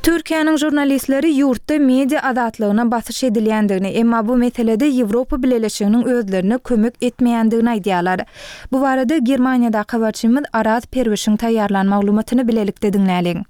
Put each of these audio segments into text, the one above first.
Türkiýäniň žurnalistleri ýurtda media azatlygyna basyş edilýändigini, emma bu meselede Ýewropa Bileleşiginiň özlerine kömek etmeýändigini aýdýarlar. Bu barada Germaniýadaky habarçymyz Araz Perwişiň taýýarlan maglumatyny bilelikde diňläliň.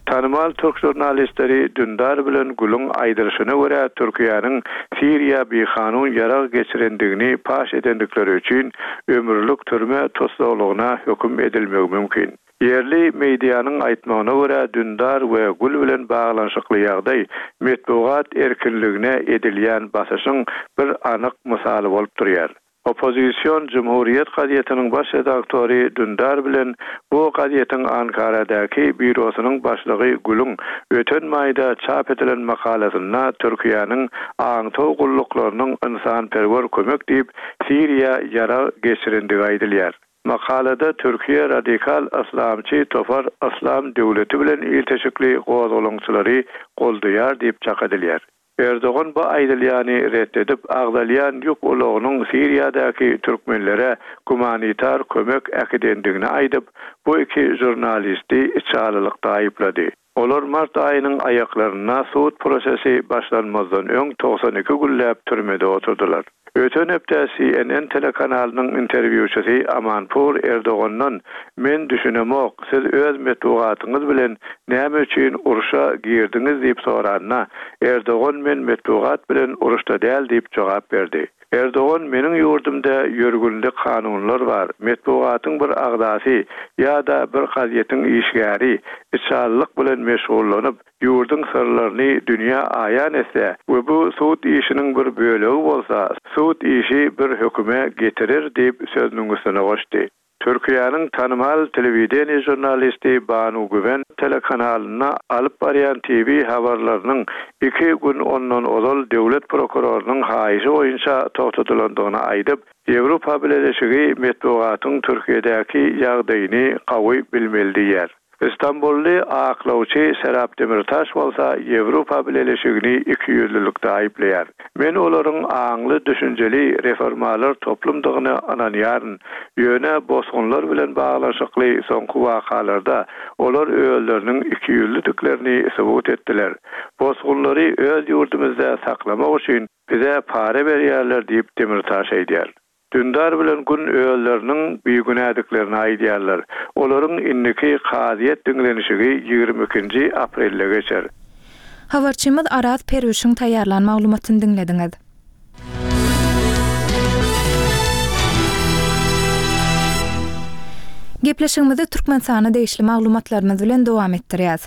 Tanymal türk žurnalistleri Dündar bilen Gülüň aýdylyşyna görä Türkiýäniň Siriýa bikanun ýarag geçirendigini paş edendikleri üçin ömürlik türme tussaglygyna höküm edilmegi mümkin. Ýerli medianyň aýtmagyna görä, Dündar we Gül bilen baglanyşykly ýagdaý metbugat erkinligine edilýän basyşyň bir anyk mysaly bolup durýar. Oppozision Cumhuriyet gazetiniň baş redaktory Dündar bilen bu gazetiň Ankaradaky býurosynyň başlygy Gülüň öten maýda çap edilen makalasynda Türkiýäniň aňtaw gulluklarynyň ynsanperwer kömek diýip Siriýa ýarag geçirendigi aýdylýar. Makalada Türkiýe radikal yslamçy topar Yslam döwleti bilen ilteşikli gozgalaňçylary goldaýar diýip çak edilýär. Erdogan bu aýdylýany ret edip, agzalýan ýük ulagynyň Siriýadaky türkmenlere gumanitar kömek äkidendigini aýdyp, bu iki žurnalisti içalylykda aýyplady. Olar mart aýynyň aýaklarynda sud prosesi başlanmazdan öň 92 günläp türmede oturdylar. Öten hepde CNN telekanalynyň interwýuçysy Amanpur Erdogandan Men düşünemok, siz öz metbugatyňyz bilen näme üçin urşa girdiňiz diýip soranda, Erdogan men metbugat bilen uruşda däl diýip jogap berdi. Erdogan meniň ýurdumda ýörgünli kanunlar bar, metbugatyň bir agzasy ýa-da bir gazetiň işgäri içalylyk bilen meşgullanyp, ýurduň syrlaryny dünýä aýan etse we bu sud işiniň bir bölegi bolsa, sud işi bir höküme getirer diýip sözüniň üstüne goşdy. Türkiýäniň tanymal telewideniýe žurnalisti Banu Güwen telekanalynda alyp barýan TV habarlarynyň iki gün ondan ozal döwlet prokurorynyň haýyşy boýunça togtadylandygyny aýdyp, Ýewropa Bileleşigi metbugatyň Türkiýedäki ýagdaýyny gawy bilmeli diýýär. Stambully aklawçy Serap Demirtaş bolsa Ýewropa Bileleşigini ikiýüzlülikde aýyplaýar. Men olaryň aňly-düşünjeli reformalar toplumdygyna ynanýaryn, ýöne bosgunlar bilen baglanyşykly soňky wakalarda olar özleriniň ikiýüzlüdiklerini subut etdiler. Bosgunlary öz ýurdumyzda saklamak üçin bize para berýärler diýip Demirtaş aýdýar. Dündar bilen Gün özleriniň bigünädiklerini aýdýarlar. Olaryň indiki kazyýet diňlenişigi 22-nji aprelde geçer. Habarçymyz Araz Perwişiň taýýarlan maglumatyny diňlediňiz. Gepleşigimizi Türkmenistana degişli maglumatlarymyz bilen dowam etdirýäs.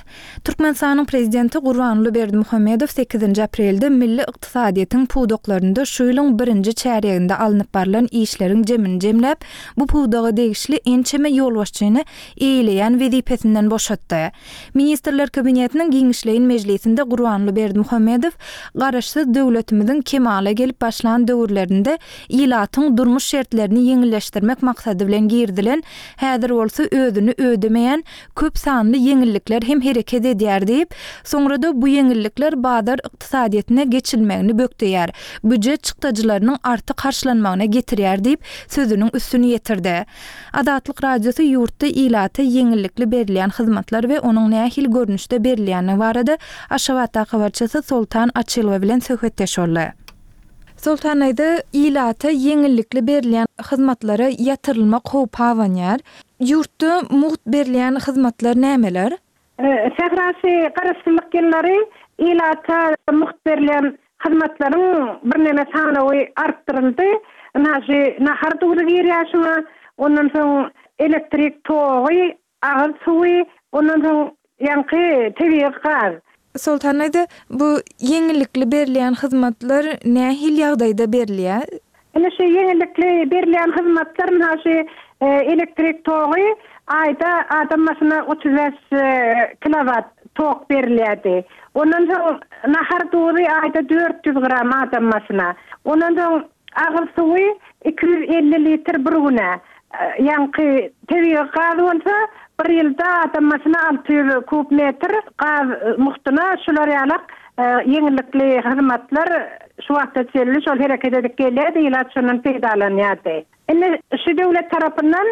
Türkmenistanyň Prezidenti Gurbanguly Berdimuhamedow sekizinji aprelde milli ykdysadyýetiň pudaklarynda şu ýylyň birinji çärýeginde alnyp barlan işleriň jemini jemläp, bu pudaga degişli ençeme ýolbaşçyny eýeleýän wezipesinden boşatdy. Ministrler Kabinetiniň giňişleýin mejlisinde Gurbanguly Berdimuhamedow Garaşsyz döwletimiziň kemala gelip başlan döwürlerinde ilatyň durmuş şertlerini ýeňilleşdirmek maksady bilen girizilen, häzir bolsa özüni ödemeýän köp sanly ýeňillikler hem hereket edýär diýip, soňra-da bu ýeňillikler bazar ykdysadyýetine geçilmegini bökdeýär, býujet çykdajylarynyň artyk harçlanmagyna getirýär diýip, sözüniň üstüni ýetirdi. Azatlyk Radiosy ýurtda ilata ýeňillikli berilýän hyzmatlar we onuň nähili görnüşde berilýändigi barada Aşgabatdaky habarçysy Soltan Açylowa bilen söhbetdeş boldy. Soltan aýda ilata ýeňillikli berilýän hyzmatlara ýatyrylmak howpy abanýar. Ýurtda mugt berilýän hyzmatlar nämeler? Sährasy Garaşsyzlyk ýyllary ilata mugt berilýän hyzmatlaryň birneme sanawy artdyryldy. Ynha şu nahar duzy girýär şuňa. Ondan soň elektrik togy, Agyz suwy, ondan soň ýaňky tebigy gaz. Soltan aýda, bu ýeňillikli berilýän hyzmatlar nähili ýagdaýda berilýär? Ine şu ýeňillikli berilýän hyzmatlar, mysal şu elektrik togy aýda adam başyna 35 kilowat tok berilýärdi. Ondan soň nahar duzy aýda 400 gram adam başyna. Ondan soň Agyz suwy 250 litr bir güne, ýaňky tebigy gaz bolsa bir ýylda adam başyna 600 kub metr gaz mugtuna şular ýalak ýeňillikli hyzmatlar şu wagta çenli şol hereket edip gelýärdi, ilat şondan peýdalanýardy. Indi şu döwlet tarapyndan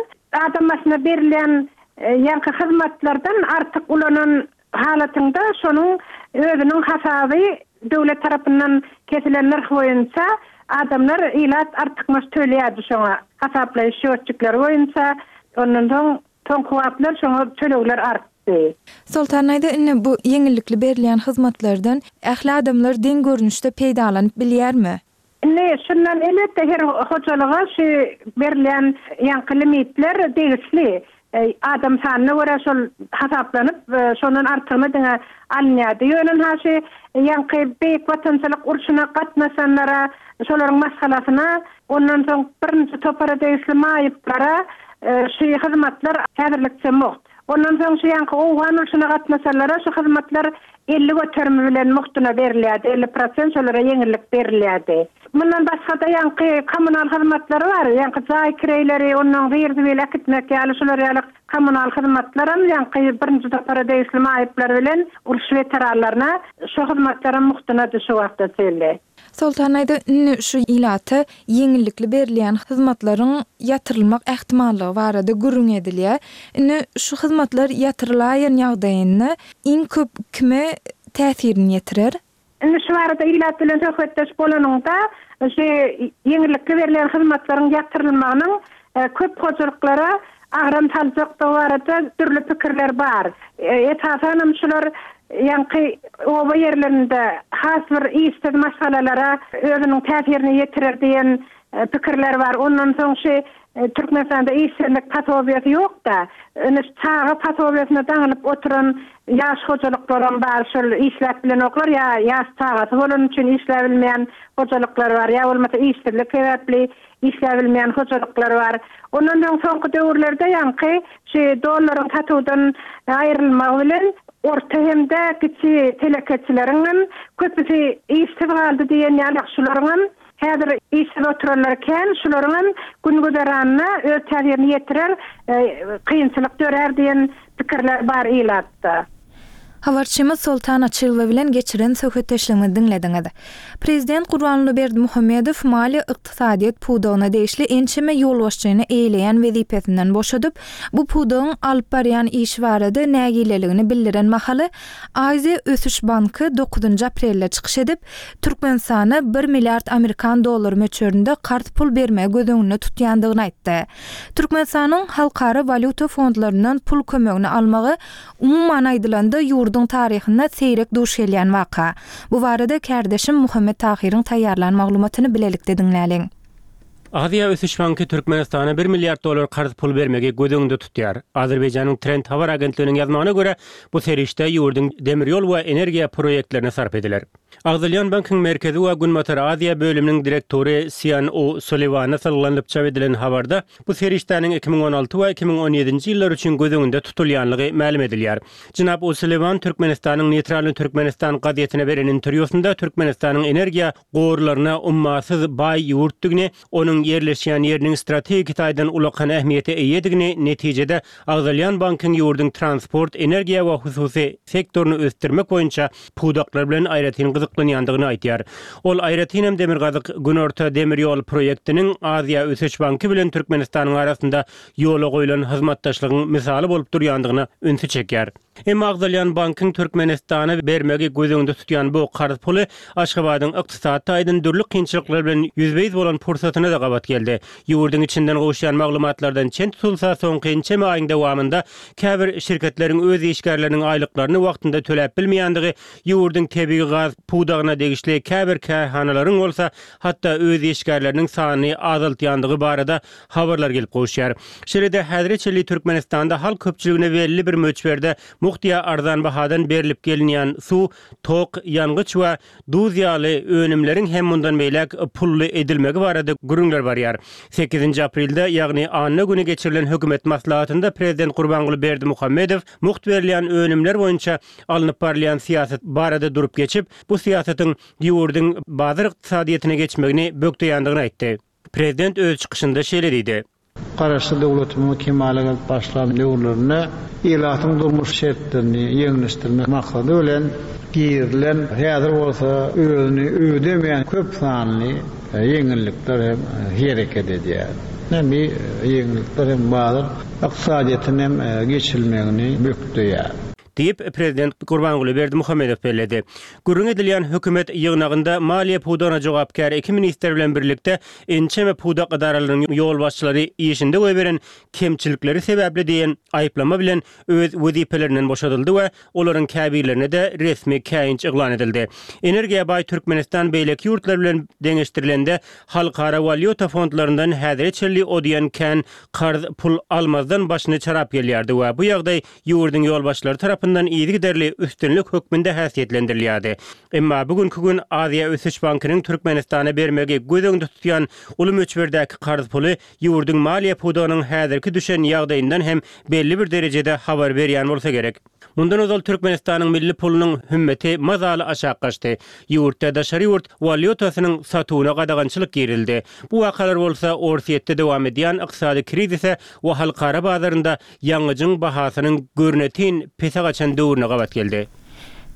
adam başyna berilýän ýaňky hyzmatlardan artyk ulanan. halatynda şonuň özüniň hasaby döwlet tarapyndan kesilen nyrh boýunça adamlar, ilat artykmaç töleýärdi şoňa hasaplaýyş şýotçikleri boýunça. Ondan soň soňky wagtlar şoňa tölegler artdy. Soltan daýza indi bu ýeňillikli berilýän hyzmatlardan ähli adamlar deň görnüşde peýdalanyp bilýärmi? Indi şundan elbetde her hojalyga şu berilýän ýaňky limitler degişli. Adam sanyna görä şol hasaplanyp, şondan artygyna diňe alynýardy. Ýöne ynha şu ýaňky Beýik Watançylyk urşuna gatnaşanlara, şolaryň maşgalasyna, ondan soň birinji topara degişli maýyplara şu hyzmatlar häzirlikçe mugt. Ondan soň şu ýaňky owgan urşuna gatnaşanlara şu hyzmatlar 50 göterimi bilen mugtuna berilýärdi, 50 prosent şolara ýeňillik berilýärdi. Mundan başga-da ýaňky kommunal hyzmatlary bar, ýaňky jaý kireýleri, ondan zir-zibil äkitmek ýaly şular ýaly kommunal hyzmatlaram ýaňky birinji topara degişli maýyplar bilen uruş weteranlaryna şo hyzmatlaram mugtunady şu wagta çenli. Soltan aýda indi şu ilata ýeňillikli berilýän hyzmatlaryň ýatyrylmak ähtimallygy barada gürrüň edilýär. Indi şu hyzmatlar ýatyrylaýan ýagdaýynda iň köp kime täsirini ýetirer? Indi şu barada ilat bilen söhbetdeş bolanyňda, şu ýeňillikli berilýän hyzmatlaryň ýatyrylmagynyň köp hojalyklara agram saljakdygy barada dürli pikirler bar. Esasanam şular ýaňky oba ýerlerinde has bir işsiz maşgalalara özüniň täsirini ýetirer diýen pikirler bar. Ondan soň şu Türkmenistanda işsizlik posobiýasy ýok-da. Indi şu çaga posobiýasyna daňylyp oturan ýaş hojalyklaram bar, şol işläp bilenoklar ýa ýaş çagasy bolany üçin işläbilmeýän hojalyklar bar, ýa bolmasa işsizlik sebäpli işläbilmeýän hojalyklar bar. Ondan soň soňky döwürlerde ýaňky şu dollaryň satuwdan aýrylmagy bilen orta hem-de kiçi telekeçileriň hem köpüsi işsiz galdy diýen ýaly şularyň hem häzir işsiz oturanlar kän, şularyň hem gün-güzeranyna öz täsirini ýetirer, kynçylyk dörär diýen pikirler bar ilatda. Habarçymyz Soltan Açylowa bilen geçiren söhbetdeşligimizi diňlediňiz. Prezident Gurbanguly Berdimuhamedow maliýe-ykdysadyýet pudagyna degişli ençeme ýolbaşçyny eýeleýän wezipesinden boşadyp, bu pudagyň alyp barýan işi barada nägileligini bildiren mahaly, Aziýa ösüş banky dokuzynjy aprelde çykyş edip, Türkmenistana bir milliard amerikan dollary möçberinde karz pul bermegi göz öňünde tutýandygyny aýtdy. Türkmenistanyň Halkara walýuta fondlaryndan pul kömegini almagy Umuman aýdylanda, ýurduň taryhynda seýrek duş gelýän waka. Bu barada kärdeşim Muhammet Tahyryň taýýarlan maglumatyny bilelikde diňläliň. Aziýa ösüş banky Türkmenistana bir milliard dollar karz pul bermegi göz öňünde tutýar. Azerbaýjanyň Trend habar agentliginiň ýazmagyna görä, bu serişde ýurduň demir ýol we energiýa proýektlerine sarp ediler. Agzalýan bankyň Merkezi we Günbatar Aziýa bölüminiň direktory Sian O Sulliwana salgylanyp çap edilen habarda bu serişdäniň 2016 we 2017-nji ýyllar üçin göz öňünde tutulýanlygy mälim edilýär. Jenap O Sulliwan Türkmenistanyň Neýtralnyý Türkmenistan gazetine beren interwýusynda Türkmenistanyň energiýa gorlaryna ummasyz baý ýurtdygyny, onuň ýerleşýän ýeriniň strategik taýdan ulakan ähmiýete eýedigini, netijede, agzalýan bankyň ýurduň transport, energiýa we hususy sektoryny ösdürmek boýunça pudaklar bilen aýratyn gyzyklanýandygyny aýdýar. Ol aýratynam Demirgazyk, Günorta demir ýol proýektiniň Aziýa ösüş banky bilen Türkmenistanyň arasynda ýola goýlan hyzmatdaşlygyň mysaly bolup durýandygyna ünsi çekýär. Emma agzalýan bankyň Türkmenistana bermegi göz öňünde tutýan bu karz puly Aşgabadyň ykdysady taýdan dürli kynçylyklar bilen ýüzbe-ýüz bolan pursatyna-da gabat geldi. Ýurduň içinden gowuşýan maglumatlardan çen tutulsa, soňky ençeme aýyň dowamynda käbir şirketleriň öz işgärleriniň aýlyklaryny wagtynda töläp bilmeýändigi, ýurduň tebigy gaz pudagyna degişli käbir kärhanalaryň bolsa hatda öz işgärleriniň sanyny azaltýandygy barada habarlar gelip gowuşýar. Şeýle-de, häzire çenli Türkmenistanda halk köpçüligine belli bir möçberde mugt ýa arzan bahadan berlip gelinýän suw, tok, ýangyç we duz ýaly önümleriň hem mundan beýläk pully edilmegi barada gürrüňler barýar. Sekizinji aprelde, ýagny anna güni geçirilen hökümet maslahatynda prezident Gurbanguly Berdimuhamedow mugt berilýän önümler boýunça alnyp barylýan syýasat barada durup geçip, bu syýasatyň ýurduň bazar ykdysadyýetine geçmegini bökdeýändigini aýtdy. Prezident öz çykyşynda şeýle diýdi. Garaşsyz döwletimiziň kemala gelip başlan döwürlerinde ilatyň durmuş şertlerini ýeňilleşdirmek maksady bilen girizilen, häzir bolsa özüni ödemeýän köp sanly ýeňillikler hem hereket edýär. Bu ýeňillikler hem bazar ykdysadyýetine hem geçilmegini bökdeýär. Diýip, prezident Gurbanguly Berdimuhamedow belledi. Gürrüňi edilýän hökümet ýygnagynda maliýe pudagyna jogapkär iki ministr bilen birlikde ençeme pudak edaralarynyň ýolbaşçylary işinde goýberen kemçilikleri sebäpli diýen aýyplama bilen öz wezipelerinden boşadyldy we olaryň käbirlerine-de resmi käýinç yglan edildi. Energiýa baý Türkmenistan beýleki ýurtlar bilen deňeşdirilende Halkara walýuta fondlaryndan häzire çenli o diýen kän karz pul almazdan başyny çarap gelýärdi we bu ýagdaý ýurduň ýolbaşçylary tarapyndan yzygiderli üstünlik hökmünde häsiýetlendirilýärdi. Emma bu günki gün Aziýa ösüş bankynyň Türkmenistana bermegi göz öňünde tutýan uly möçberdäki karz puly ýurduň maliýe pudagynyň häzirki düşen ýagdaýyndan hem belli bir derejede habar berýän bolsa gerek. Mundan ozal Türkmenistanyň milli pulunyň hümmeti mazaly aşak gaçdy. Ýurtda daşary ýurt walýutasynyň satuwyna gadagançylyk girizildi. Bu wakalar bolsa Orsýetde dowam edýän ykdysady krizise we halkara bazarynda ýangyjyň bahasynyň görnetin pese gaçan döwrüne gabat geldi.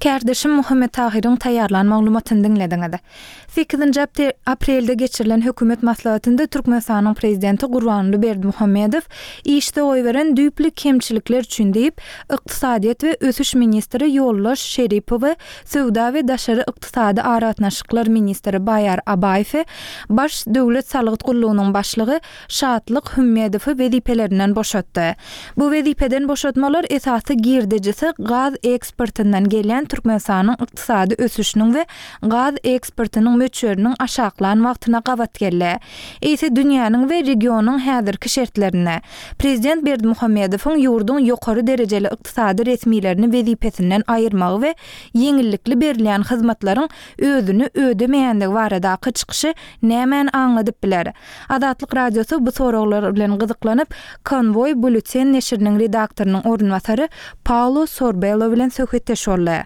Kärdeşim Muhammet Tahyryň taýýarlan maglumatyny diňlediňiz. Sekizinji aprelde geçirilen hökümet maslahatynda Türkmenistanyň Prezidenti Gurbanguly Berdimuhamedow işde goýberen düýpli kemçilikler üçin diýip, ykdysadyýet we ösüş ministri Ýoldaş Şeripowy, söwda we daşary ykdysady aragatnaşyklar ministri Baýar Abaýewi, Baş döwlet salgyt gullugynyň başlygy Şatlyk Hümmedowy wezipelerinden boşatdy. Bu wezipeden boşatmalar esasy girdejisi gaz eksportyndan gelýän Türkmenistanyň ykdysady ösüşiniň we gaz eksportynyň möçberiniň aşaklan wagtyna gabat geldi. Eýse dünýäniň we regionyň häzirki şertlerinde, prezident Berdimuhamedowyň ýurduň ýokary derejeli ykdysady resmilerini wezipesinden aýyrmagy we ýeňillikli berilýän hyzmatlaryň özüni ödemeýändigi baradaky çykyşy nämäni aňladyp biler? Azatlyk Radiosy bu soraglar bilen gyzyklanyp, Konwoý Bulletin neşiriniň redaktorynyň orunbasary Paulo Sorbello bilen söhbetdeş boldy.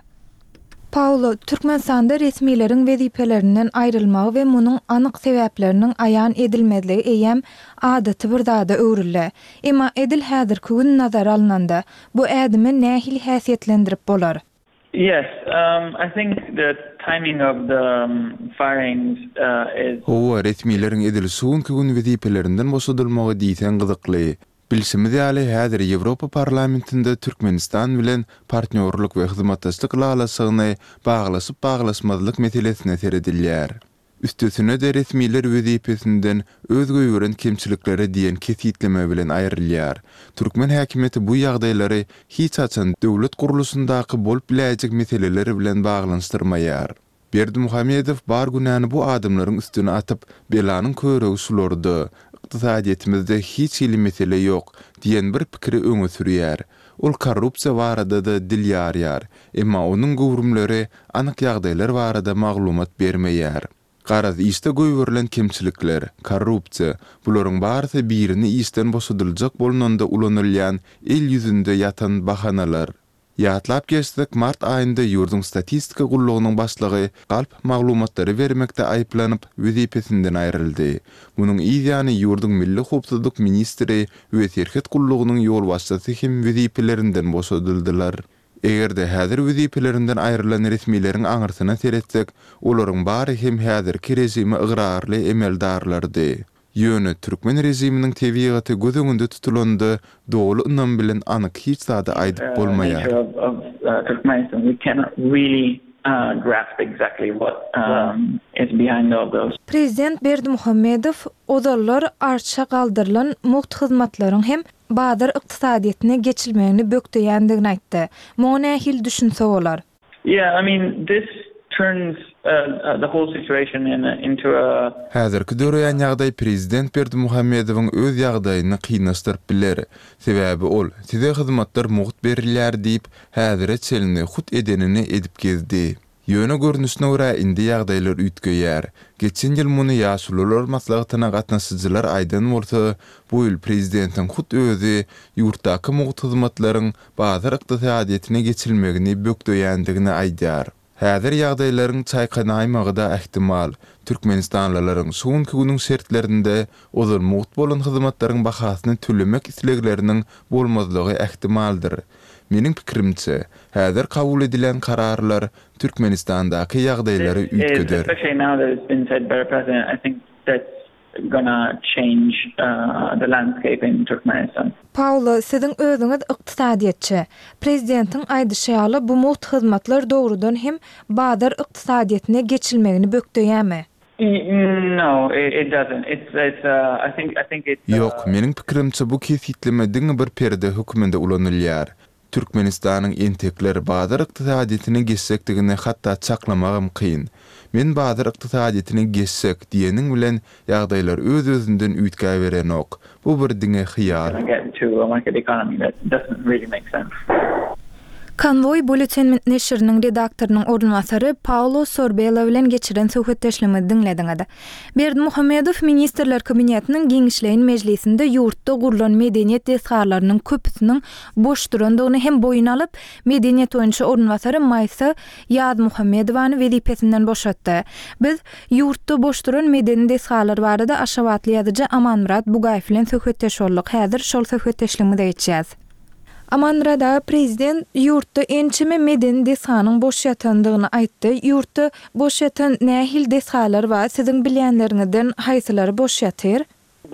Paulo, Türkmenistanda resmileriň wezipelerinden aýrylmagy we munuň anyk sebäpleriniň aýan edilmezligi eýýäm adaty bir zada öwrüldi. Emma edil häzirki gün nazara alnanda, bu ädimi nähili häsiýetlendirip bolar? Yes, I think the timing of the firings is. Hawa, resmileriň edil şu günki gün wezipelerinden boşadylmagy diýseň gyzykly. Bilşimiz ýaly, häzir Ýewropa Parlamentinde Türkmenistan bilen Partnýorlyk we hyzmatdaşlyk ylalaşygyny baglaşyp-baglaşmazlyk meselesine seredilýär. Üstesine-de resmiler wezipesinden öz goýberen kemçilikleri diýen kesgitleme bilen aýrylýar. Türkmen häkimiýeti bu ýagdaýlary hiç haçan döwlet gurluşyndaky bolup biläýjek meseleler bilen baglanyşdyrmaýar. Berdimuhamedow bar günäni bu adamlaryň üstüne atyp, belanyň körügi şularda, ykdysadyýetimizde hiç hili mesele ýok diýen bir pikiri öňe sürýär. Ol korrupsiýa barada-da dil ýarýar, emma onuň göwrümleri anyk ýagdaýlar barada maglumat bermeýär. Garaz, işde goýberilen kemçilikler, korrupsiýa, bularyň barysy birini işden boşadyljak bolnanda ulanylýan el ýüzünde ýatan bahanalar. Ýatlap geçsek, mart aýynda ýurduň statistika gullugynyň başlygy galp maglumatlary bermekde aýyplanyp, wezipesinden aýryldy. Munuň yz ýany ýurduň milli howpsuzlyk ministri we serhet gullugynyň ýolbaşçysy hem wezipelerinden boşadyldylar. Eger-de häzir wezipelerinden aýrylan resmileriň aňyrsyna seretsek, olaryň bary hem häzirki režime ygrarly emeldarlardy. Ýöne türkmen režiminiň tebigaty göz öňünde tutulanda, doly ynam bilen anyk hiç zady aýdyp bolmaýar. Prezident Berdimuhamedow ozallar arça galdyrylan mugt hyzmatlaryň hem bazar ykdysadyýetine geçilmegini bökdeýändigini aýtdy. Muňa nähili düşünse bolar? Yeah, I mean, this turns the whole situation into a. Häzirki döreýän ýagdaý prezident Berdimuhamedowyň öz ýagdaýyny kynlaşdyryp biler. Sebäbi ol, size hyzmatlar mugt berilýär diýip, häzire çenli hut edenini edip gezdi. Ýöne görnüşine görä indi ýagdaýlar üýtgeýär. Geçen ýyl muny Ýaşulular maslahatyna gatnaşyjylar aýdan bolsa, bu ýyl prezidentiň hut özi ýurtdaky mugt hyzmatlaryň bazar ykdysadyýetine geçilmegini bökdeýändigini aýdýar. Häzir ýagdaýlaryň çaýkanaýmagy-da ähtimal. Türkmenistanlylaryň şu günki günüň şertlerinde ozal mugt bolan hyzmatlaryň bahasyny tölemek islegleriniň bolmazlygy ähtimaldyr. Meniň pikirimçe, häzir kabul edilen kararlar Türkmenistandaky ýagdaýlary üýtgeder. gonna change the landscape in Turkmenistan. Paolo, siziň özüňiz ykdysadyýetçi. Prezidentiň aýdyşy ýaly, bu mugt hyzmatlar dogrudan hem bazar ykdysadyýetine geçilmegini bökdeýärmi? No, it doesn't. It's, it's, I think, I think it's. Ýok, meniň pikirimçe bu kesgitleme diňe bir perde hökmünde ulanylýar. Türkmenistanyň entekler bazar ykdysadyýetine geçjekdigini hatda çaklamagam kyn. Men bazar ykdysadyýetine geçsek diýeniň bilen ýagdaýlar öz-özünden üýtgäberenok. Bu bir diňe hyýal. Konwoý Bulletin neşiriniň redaktorynyň orunbasary Paolo Sorbello bilen geçiren söhbetdeşligimizi diňlediňiz. Berdimuhamedow Ministrler Kabinetiniň giňişleýin mejlisinde ýurtda gurlan medeniýet desgalarynyň köpüsiniň boş durandygyny hem boýun alyp, medeniýet boýunça orunbasary Maýsa Ýazmuhammedowany wezipesinden boşatdy. Biz ýurtda boş duran medeni desgalar barada aşgabatly ýazyjy Amanmyrat Bugaýew bilen söhbetdeş bolduk. Häzir şol söhbetdeşligimize geçýäs. Amanmyrat aga, prezident ýurtda ençeme medeni desganyň boş ýatandygyny aýtdy. Ýurtda boş ýatan nähili desgalar bar? Siziň bilýänleriňizden haýsylary boş ýatyr?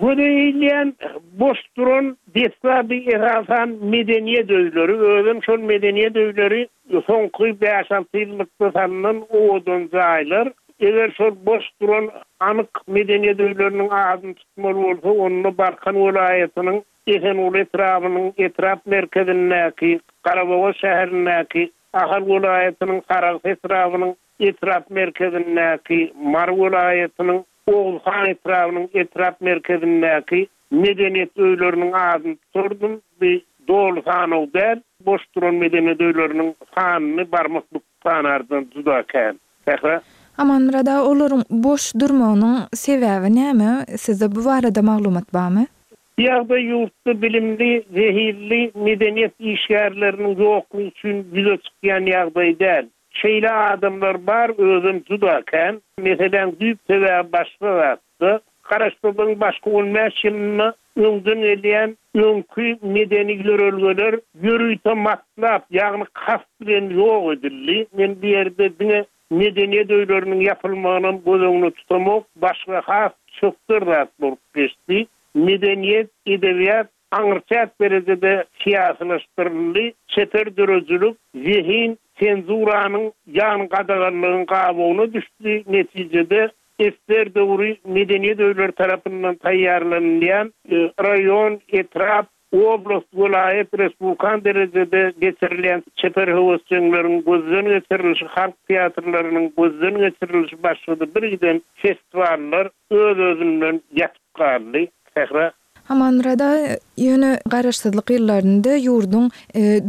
Göze ilýän boş duran desga bu esasan medeniýet öýleri, özem şol medeniýet öýleri soňky bäş-alty ýyllykda salnan owadan jaýlar. Eger şol boş duran anyk medeniýet öýleriniň adyny tutmaly bolsa, onda Balkan welaýatynyň Esenguly etrabynyň etrap merkezindäki, Garabogaz şäherindäki, Ahal welaýatynyň Sarahs etrabynyň etrap merkezindäki, Mary welaýatynyň Oguzhan etrabynyň etrap merkezindäki medeniýet öýleriniň adyny tutardym. Bu doly sanaw däl. Boş duran medeniýet öýleriniň sanyny barmak büküp sanardan juda kän. Sähra. Amanmyrat aga, olaryň boş durmagynyň sebäbi näme? Sizde bu barada maglumat barmy? Bu ýagdaý ýurtda bilimli, zehinli medeniýet işgärleriniň ýoklugy üçin ýüze çykýan ýagdaý däl. Şeýle adamlar bar, özem juda kän. Meseläň düýp sebäbi başga zatda. Garaşsyzlygyň başky on bäş ýylynda öňden gelýän öňki medeni ýörelgeler ýörite matlap, ýagny kast bilen ýok edildi. Men bu ýerde diňe medeniýet öýleriniň ýapylmagynam göz öňünde tutamok, başga has çökder zat bolup geçdi. Medeniýet, edebiýat aňryçäk derejede syýasylaşdyryldy, çeper döredijilik, zehin senzuranyň, ýagny gadaganlygyň gabawyna düşdi, netijede ssr döwri medeniýet öýleri tarapyndan taýýarlanylýan raýon, etrap, oblast, welaýat, respublikan derejede geçirilýän çeper höwesjeňleriň gözden geçirilişi, halk teatrlarynyň gözden geçirilişi başga-da birgiden festiwallar öz-özünden ýatyp galdy. Sähra. Amanmyrat aga, ýöne Garaşsyzlyk ýyllarynda ýurduň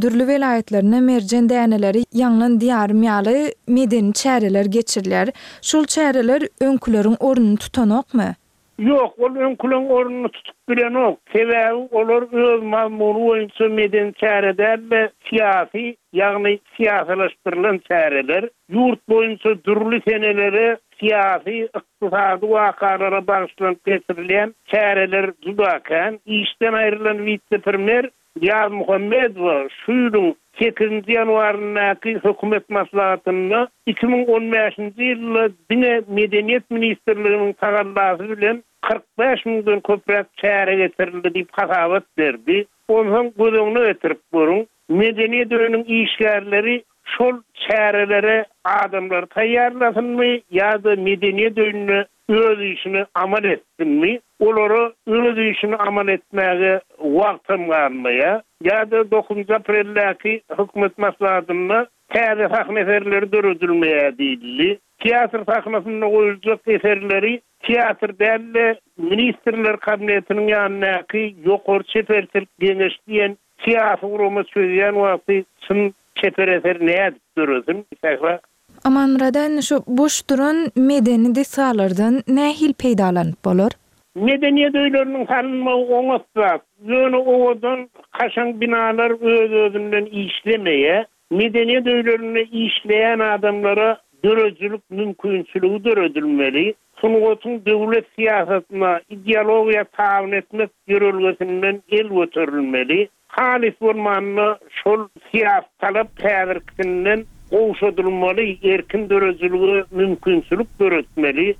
dürli welaýatlarynda Merjen däneleri, Ýaňlan diýarym ýaly medeni çäreler geçirilýär. Şol çäreler öňküleriň ornuny tutanokmy? Ýok, ol öňküleň ornuny tutup bilenok. Sebäbi olar öz mazmuny boýunça medeni çäre däl-de, syýasy, ýagny syýasylaşdyrylan çäreler. Ýurt boýunça dürli senelere syýasy, ykdysady wakalara bagyşlanyp geçirilýän çäreler juda kän. Işden aýrylan wise-premýer Ýazmuhammedowa şu ýylyň sekizinji ýanwaryndaky hökümet maslahatynda 2015-nji ýylda diňe Medeniýet ministrliginiň tagallasy bilen 45 müňden köpräk çäre geçirildi diýip hasabat berdi. Onsoň göz öňüne getirip görüň, Medeniýet öýüniň işgärleri şol çärelere adamlary taýýarlasynmy ýa-da medeniýet öýünde öz işini amal etsinmi, olara öz işini amal etmäge wagtam galmaýar. Ýa-da dokuzynjy apreldäki hökümet maslahatynda täze sahna eserleri döredilmeýär diýildi. Teatr sahnasynda goýuljak eserleri teatr däl-de, Ministrler Kabinetiniň ýanyndaky Ýokary çeperçilik geňeşi diýen Syýasy gurama çözýän wagty çyn çeper eser nädip döresin, Sähra? Amanmyrada indi şu boş duran medeni desgalardan nähili peýdalanyp bolar? Medeniýet öýleriniň salynmagy oňat zat. Ýöne owadan, kaşaň binalar öz-özünden işlemeýär. Medeniýet öýlerinde işleýän adamlara döredijilik mümkinçiligi döredilmeli. Sungatyň döwlet syýasatyna, ideologiýa tabyn etmek ýörelgesinden el göterilmeli. Halys bolmanda şol syýasy talap häzirkisinden gowşadylmaly, erkin döredijilige mümkinçilik döretmeli.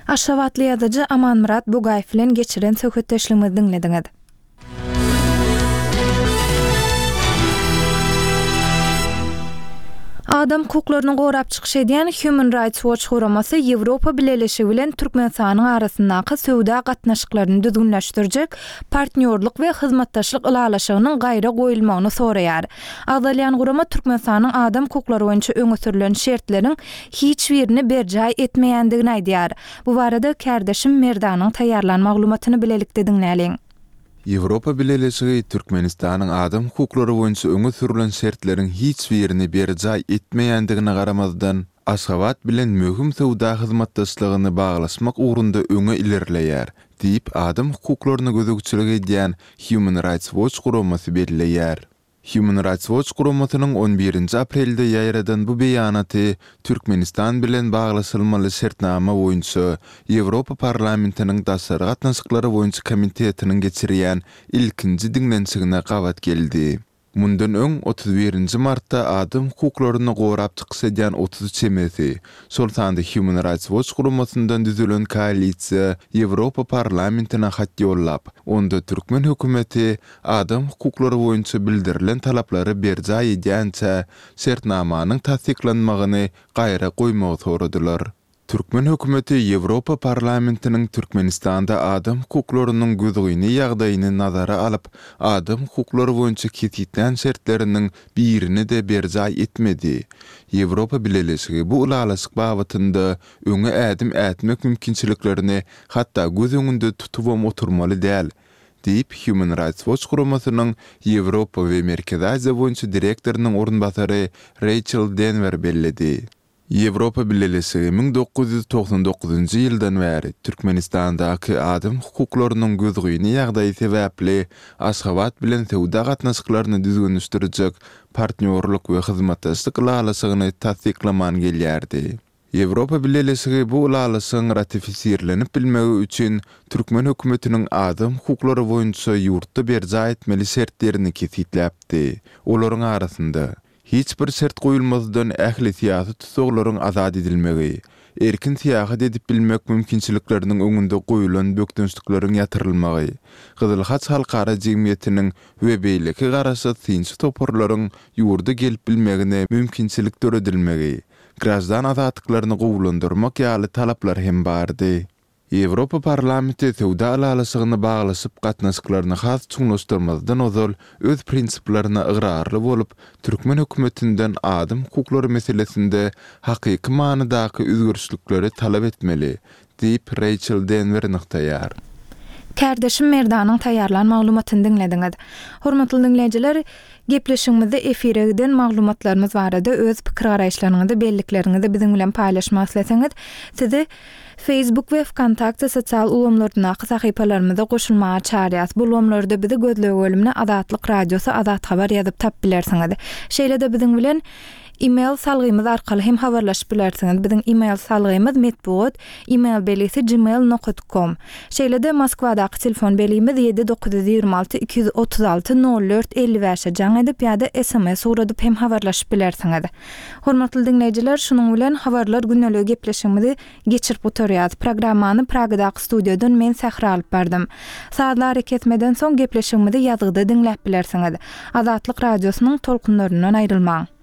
Aşgabatly ýazyjy Amanmyrat Bugaýew bilen geçiren söhbetdeşligimizi diňlediňiz. Adam hukuklaryny gorap çykyş edýän Human Rights Watch guramasy Ýewropa Bileleşigi bilen Türkmenistanyň arasyndaky söwda gatnaşyklaryny düzgünleşdirjek Partnýorlyk we hyzmatdaşlyk ylalaşygynyň gaýra goýulmagyny soraýar. Agzalýan gurama Türkmenistanyň adam hukuklary boýunça öňe sürlen şertleriň hiç birini berjaý etmeýändigini aýdýar. Bu barada kärdeşim Merdanyň taýýarlan maglumatyny bilelikde diňläliň. Ýewropa Bileleşigi Türkmenistanyň adam hukuklary boýunça öňe sürlen şertleriň hiç birini berjaý etmeýändigine garamazdan, Aşgabat bilen möhüm söwda hyzmatdaşlygyny baglaşmak ugrunda öňe ilerleýär, diýip, adam hukuklaryna gözegçilik edýän Human Rights Watch guramasy belleýär. Human Rights Watch guramasynyň on birinji aprelde ýaýradan bu beýanaty Türkmenistan bilen baglaşylmaly şertnama boýunça Ýewropa Parlamentiniň Daşary gatnaşyklary boýunça komitetiniň geçirýän ilkinji diňlenişigine gabat geldi. Mundan öň, 31 nji martda adam hukuklaryny gorap çykyş edýän 30 çemesi, şol sanda Human Rights Watch guramasyndan düzülen koalisiýa Ýewropa Parlamentine hat ýollap, onda türkmen hökümeti adam hukuklary boýunça bildirilen talaplary berjaý edýänçä şertnamanyň tassyklanmagyny gaýra goýmagy soradylar. Türkmen hökümeti Ýewropa Parlamentiniň Türkmenistanda adam hukuklarynyň gözgyny ýagdaýyny nazara alyp, adam hukuklary boýunça kesgitlän şertleriniň birini-de berjaý etmedi. Ýewropa Bileleşigi bu ylalaşyk babatynda öňe ädim ätmek mümkinçiliklerini hatda göz öňünde tutubam oturmaly däl, diýip, Human Rights Watch guramasynyň Ýewropa we Merkezi Aziýa boýunça direktorynyň orunbasary Reýçel Denwer belledi. Ýewropa Bileleşigi 1999-njy ýyldan bäri Türkmenistandaky adam hukuklarynyň gözgyny ýagdaýy sebäpli Aşgabat bilen söwda gatnaşyklaryny düzgünleşdirjek Partnýorlyk we hyzmatdaşlyk ylalaşygyny tassyklaman gelýärdi. Ýewropa Bileleşigi bu ylalaşygyň ratifisirlenip bilmegi üçin türkmen hökümetiniň adam hukuklary boýunça ýurtda berjaý etmeli şertlerini kesgitläpdi. Olaryň arasynda, Hiç bir şert goýulmazdan ähli syýasy tussaglaryň azat edilmegi, erkin syýahat edip bilmek mümkinçilikleriniň öňünde goýulan bökdençlikleriň ýatyrylmagy, Gyzyl Haç halkara jemgyýetiniň we beýleki garaşsyz synçy toparlaryň ýurda gelip bilmegine mümkinçilik döredilmegi, graždan azatlyklaryny gowulandyrmak ýaly talaplar hem bardy. Ýewropa Parlamenti söwda ylalaşygyny baglaşyp, gatnaşyklaryny has çuňlaşdyrmazdan ozal öz prinsiplerine ygrarly bolup, türkmen hökümetinden adam hukuklary meselesinde hakyky manydaky özgerişlikleri talap etmeli, diýip, Reýçel Denwer nygtaýar. Kärdeşim Merdanyň taýýarlan maglumatyny diňlediňiz. Hormatly diňleýjiler, Gepleşigimizde efire giden maglumatlarymyz barada öz pikir-garaýyşlaryňyzy, bellikleriňizi biziň bilen paýlaşmak isleseňiz, sizi Facebook we Wkontakte sosial ulgamlaryndaky sahypalarymyza goşulmaga çagyrýas. Bu ulgamlarda bizi gözleg bölümine Azatlyk Radiosy, Azat Habar ýazyp tapyp bilersiňiz. Şeýle-de biziň bilen E-mail salgymyz arkaly hem habarlaşyp bilersiňiz. Biziň e-mail salgymyz metbugat, e-mail belgisi gmail nokat kom. Şeýle-de Moskwadaky telefon belgimiz 7 926 236 04 55-e jaň edip ýa-da sms ugradyp hem habarlaşyp bilersiňiz. Hormatly diňleýjiler, şunuň bilen Habarlar gündeligi gepleşigimizi geçirip gutarýas. Programmany Pragadaky studiýadan men Sähra alyp bardym. Sazly arakesmeden soň gepleşigimizi ýazgyda diňläp bilersiňiz. Azatlyk Radiosynyň tolkunlaryndan aýrylmaň.